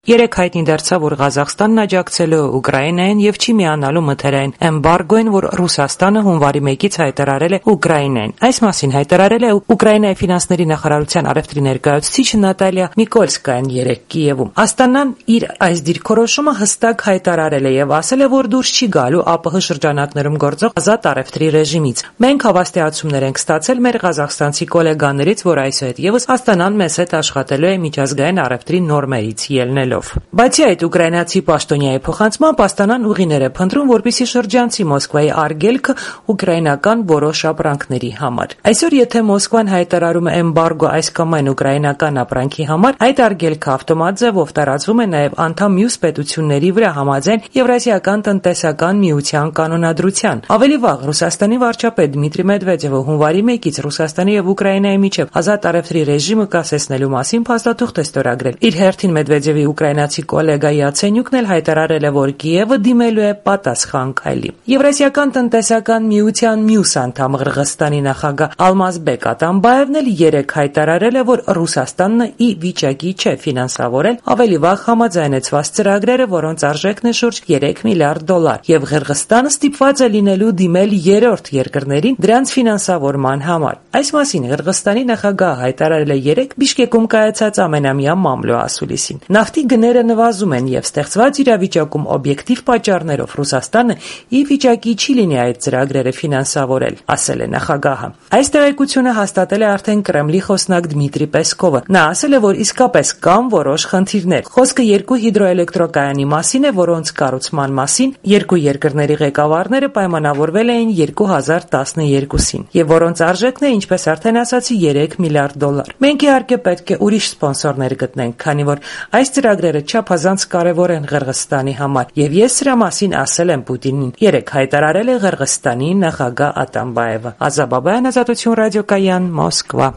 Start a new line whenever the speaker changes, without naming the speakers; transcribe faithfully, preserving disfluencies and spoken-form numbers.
Երեք հայտնի դարձավ, որ Ղազախստանն աջակցելու է Ուկրաինային եւ չի միանալու մթերային էմբարգոին, որ Ռուսաստանը հունվարի մեկից հայտարարել է Ուկրաինային։ Այս մասին հայտարարել է Ուկրաինայի ֆինանսների նախարարության առևտրի ներկայացուցիչ Նատալիա Միկոլսկայան երեկ Կիևում։ Աստանան իր այս դիրքորոշումը հստակ հայտարարել է եւ ասել է, որ դուրս չի գալու ԱՊՀ շրջանակներում գործող ազատ առևտրի ռեժիմից։ Մենք հավաստիացումներ ենք ստացել մեր ղազախստանցի գոլեգաներից, որ այսուհետեւս Աստանան մեզ հետ աշխատելու է միջազգային առևտրի նորմերից ելնելով։ Բացի այդ, ուկրաինացի պաշտոնյայի փոխանցմամբ Աստանան ուղիներ է փնտրում, որպեսզի շրջանցի Մոսկվայի արգելքը ուկրաինական որոշ ապրանքների համար։ Այսօր, եթե Մոսկվան հայտարարում է էմբարգո այս կամ այն ուկրաինական ապրանքի համար, այդ արգելքը ավտոմատ ձևով տարածվում է նաև անդամ մյուս պետությունների վրա համաձայն Եվրասիական տնտեսական միության կանոնադրության։ Ավելի վաղ Ռուսաստանի վարչապետ Դմիտրի Մեդվեդևը հունվարի մեկից Ռուսաստանի եւ Ուկրաինայի միջև ազատ առևտրի ռեժիմը կասեցնելու մասին փաստաթուղթ է ստորագրել։ Իր հերթին Մեդվեդևի ուկրաինացի գոլեգա Յացենյուկն էլ հայտարարել է, որ Կիևը դիմելու է պատասխան քայլի։ Եվրասիական տնտեսական միության մյուս անդամ Ղրղստանի նախագահ Ալմազբեկ Ատամբաևն էլ երեկ հայտարարել է, որ Ռուսաստանն ի վիճակի չէ ֆինանսավորել ավելի վաղ համաձայնեցված ծրագրերը, որոնց արժեքն է շուրջ երեք միլիարդ դոլար, եւ Ղրղստանը ստիպված է լինելու դիմել երրորդ երկրներին դրանց ֆինանսավորման համար։ Այս մասին Ղրղստանի նախագահը հայտարարել է երեկ Բիշկեկում կայացած ամենամյա մամլո ասուլիսին։ Նավթի գները նվազում են եւ ստեղծված իրավիճակում օբյեկտիվ պատճառներով Ռուսաստանը ի վիճակի չի լինի այդ ծրագրերը ֆինանսավորել, ասել է նախագահը։ Այս տեղեկությունը հաստատել է արդեն Կրեմլի խոսնակ Դմիտրի Պեսկովը։ Նա ասել է, որ իսկապես կան որոշ խնդիրներ։ Խոսքը երկու հիդրոէլեկտրակայանի մասին է, որոնց կառուցման մասին երկու երկրների ղեկավարները պայմանավորվել էին երկու հազար տասներկուսին, եւ որոնց արժեքն է, ինչպես արդեն ասացի, երեք միլիարդ դոլար։ Մենք իհարկե պետք է ուրիշ սպոնսորներ գտնենք, քանի որ այս ծրագրերը չափազանց կարևոր են Ղրղստանի համար, եւ ես սրա մասին ասել եմ Պուտինին, երեկ հայտարարել է Ղրղստանի նախագահ Ատամբաևը։ Ազաբաբայան, Ազատություն ռադիոկայան, Մոսկվա։